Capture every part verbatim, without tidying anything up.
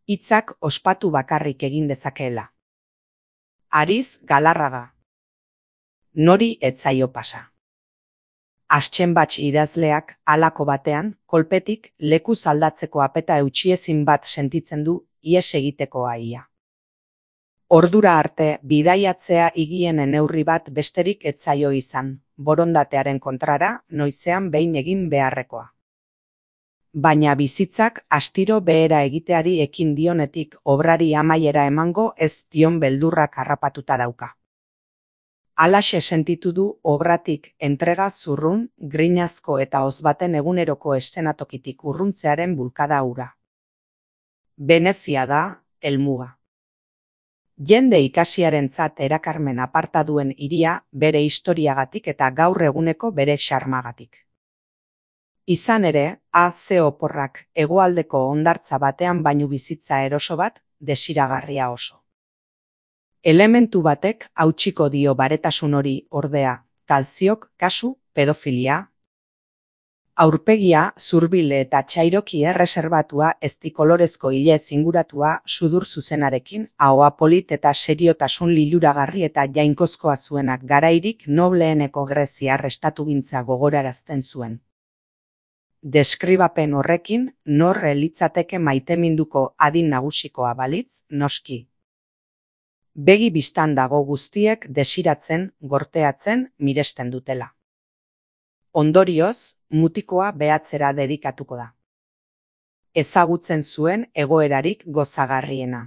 hitzak ospatu bakarrik egin dezakeela. Ariz Galarraga. Nori ez zaio pasa. Astxenbatx idazleak halako batean, kolpetik lekuz aldatzeko apeta eutxiezin bat sentitzen du ihes egiteko aia. Ordura arte bidaiatzea higiene neurri bat besterik ez zaio izan, borondatearen kontrara noizean behin egin beharrekoa. Baina bizitzak astiro behera egiteari ekin dionetik obrari amaiera emango ez dion beldurrak harrapatuta dauka. Halaxe sentitu du obratik entrega zurrun, grinazko eta ozbaten eguneroko eszenatokitik urruntzearen bulkada hura. Venezia da, helmuga. Jende ikasiarentzat erakarmen aparta duen hiria bere historiagatik eta gaur eguneko bere xarmagatik. Izan ere, A ze oporrak hegoaldeko hondartza batean baino bizitza eroso bat, desiragarria oso. Elementu batek hautsiko dio baretasun hori ordea, talziok kasu pedofilia. Aurpegia zurbile eta txairoki erreserbatua ezti kolorezko ile zinguratua sudur zuzenarekin, ahoa polit eta seriotasun liluragarri eta jainkozkoa zuenak garairik nobleeneko greziar estatugintza gogorarazten zuen. Deskribapen horrekin nor litzateke maiteminduko adin nagusikoa balitz, noski. Begi bistan dago guztiek desiratzen, gorteatzen, miresten dutela. Ondorioz, mutikoa behatzera dedikatuko da. Ezagutzen zuen egoerarik gozagarriena.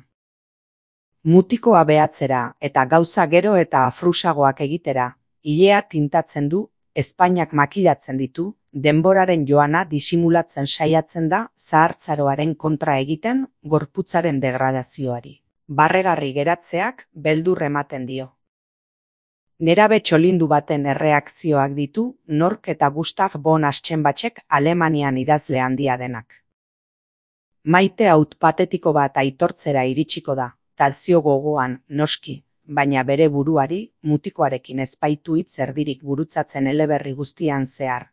Mutikoa behatzera eta gauza gero eta afrusagoak egitera, ilea tintatzen du, ezpainak makilatzen ditu, denboraren joana disimulatzen saiatzen da zahartzaroaren kontra egiten gorputzaren degradazioari. Barregarri geratzeak beldur ematen dio. Nerabe txolindu baten erreakzioak ditu Nork eta Gustav von Aschenbachek Alemanian idazle handia denak. Maite haut patetiko bat aitortzera iritsiko da, talzio gogoan, noski, baina bere buruari, mutikoarekin ezpaitu hitz erdirik gurutzatzen eleberri guztian zehar.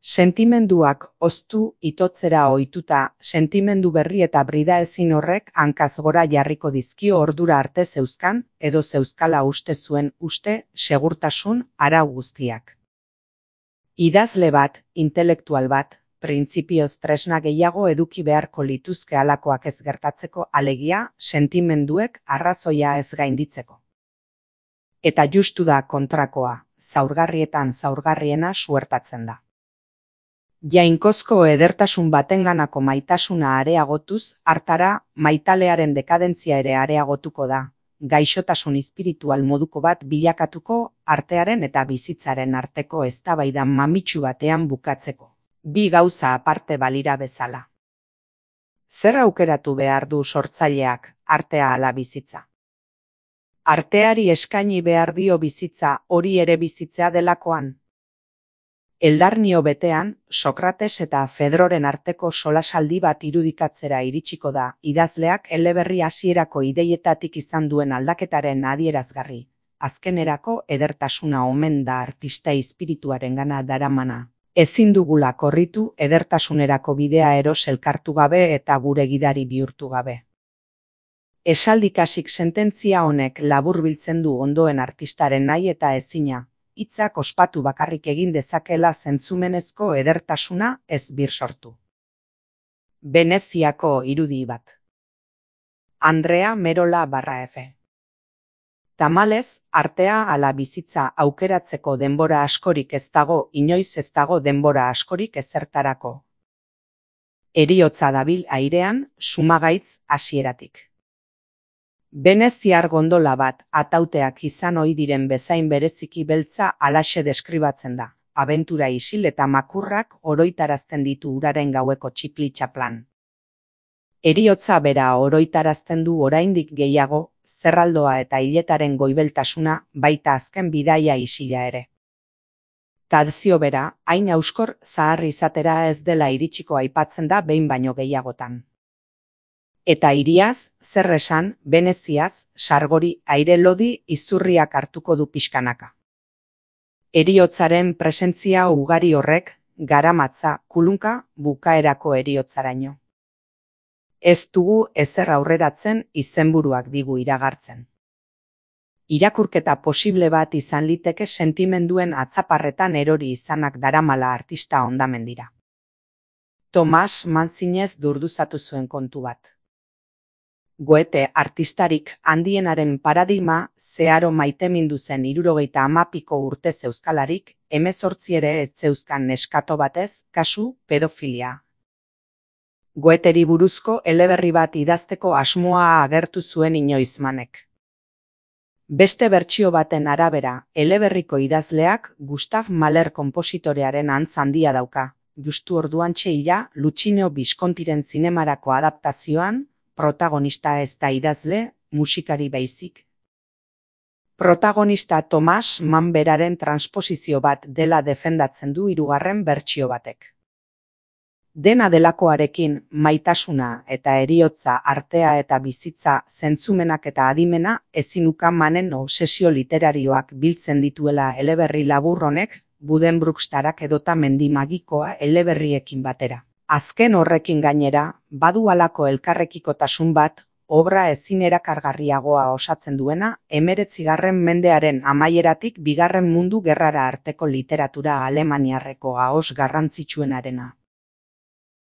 Sentimenduak oztu itotzera ohituta, sentimendu berri eta brida ezin horrek hankaz gora jarriko dizkio ordura arte zeuzkan, edo zeuzkala uste zuen uste, segurtasun, arau guztiak. Idazle bat, intelektual bat, printzipioz tresna gehiago eduki beharko lituzke halakoak ez gertatzeko, alegia, sentimenduek arrazoia ez gainditzeko. Eta justu da kontrakoa, zaurgarrietan zaurgarriena suertatzen da. Jainkozko edertasun batenganako maitasuna areagotuz, hartara maitalearen dekadentzia ere areagotuko da, gaixotasun espiritual moduko bat bilakatuko artearen eta bizitzaren arteko eztabaida mamitsu batean bukatzeko. Bi gauza aparte balira bezala. Zer aukeratu behar du sortzaileak, artea ala bizitza? Arteari eskaini behar dio bizitza hori ere bizitzea delakoan. Eldarnio betean, Sokrates eta Fedroren arteko solasaldi bat irudikatzera iritsiko da, idazleak eleberri hasierako ideietatik izan duen aldaketaren adierazgarri. Azkenerako edertasuna omen da artista espirituarengana daramana. Ezin dugula korritu edertasunerako bidea eros elkartu gabe eta gure gidari bihurtu gabe. Esaldikasik sententzia honek laburbiltzen du ondoen artistaren nahi eta ezina. Hitzak ospatu bakarrik egin dezakela zentzumenezko edertasuna ez bir sortu. Veneziako irudi bat. Andrea Merola barra F. Tamalez, artea ala bizitza aukeratzeko denbora askorik ez dago, inoiz ez dago denbora askorik ezertarako. Heriotza dabil airean, sumagaitz hasieratik. Veneziar gondola bat, atauteak izan ohi diren bezain bereziki beltza halaxe deskribatzen da. Abentura isil eta makurrak oroitarazten ditu uraren gaueko txipli-txaplan. Heriotza bera oroitarazten du oraindik gehiago, zerraldoa eta hiletaren goibeltasuna, baita azken bidaia isila ere. Tadzio bera, hain auskor zahar izatera ez dela iritsiko aipatzen da behin baino gehiagotan. Eta hiriaz, zer esan, Veneziaz, sargori, aire lodi, izurriak hartuko du pixkanaka. Heriotzaren presentzia ugari horrek, garamatza, kulunka, bukaerako heriotzaraino. Ez dugu ezer aurreratzen izenburuak digu iragartzen. Irakurketa posible bat izan liteke sentimenduen atzaparretan erori izanak daramala artista hondamendira. Tomas Mann zinez durduzatu zuen kontu bat. Goethe artistarik handienaren paradigma zeharo maitemindu zen hirurogeita hamapiko urte zeuskalarik, hemezortzi ere ez zeuzkan neskato batez, kasu pedofilia. Goetheri buruzko eleberri bat idazteko asmoa agertu zuen inoiz Mannek. Beste bertsio baten arabera, eleberriko idazleak Gustav Mahler konpositorearen antz handia dauka, justu orduantxe ira Luchino Viscontiren zinemarako adaptazioan, protagonista ez da idazle, musikari baizik. Protagonista Tomas Mann beraren transposizio bat dela defendatzen du hirugarren bertsio batek. Dena delakoarekin, maitasuna eta heriotza, artea eta bizitza, zentzumenak eta adimena, ezinuka Mannen obsesio literarioak biltzen dituela eleberri labur honek, Buddenbrooks-tarak edota Mendi magikoa eleberriekin batera. Azken horrekin gainera, badu halako elkarrekikotasun bat, obra ezin erakargarriagoa osatzen duena, hemeretzigarren mendearen amaieratik bigarren mundu gerrara arteko literatura alemaniarreko ahoz garrantzitsuenarena.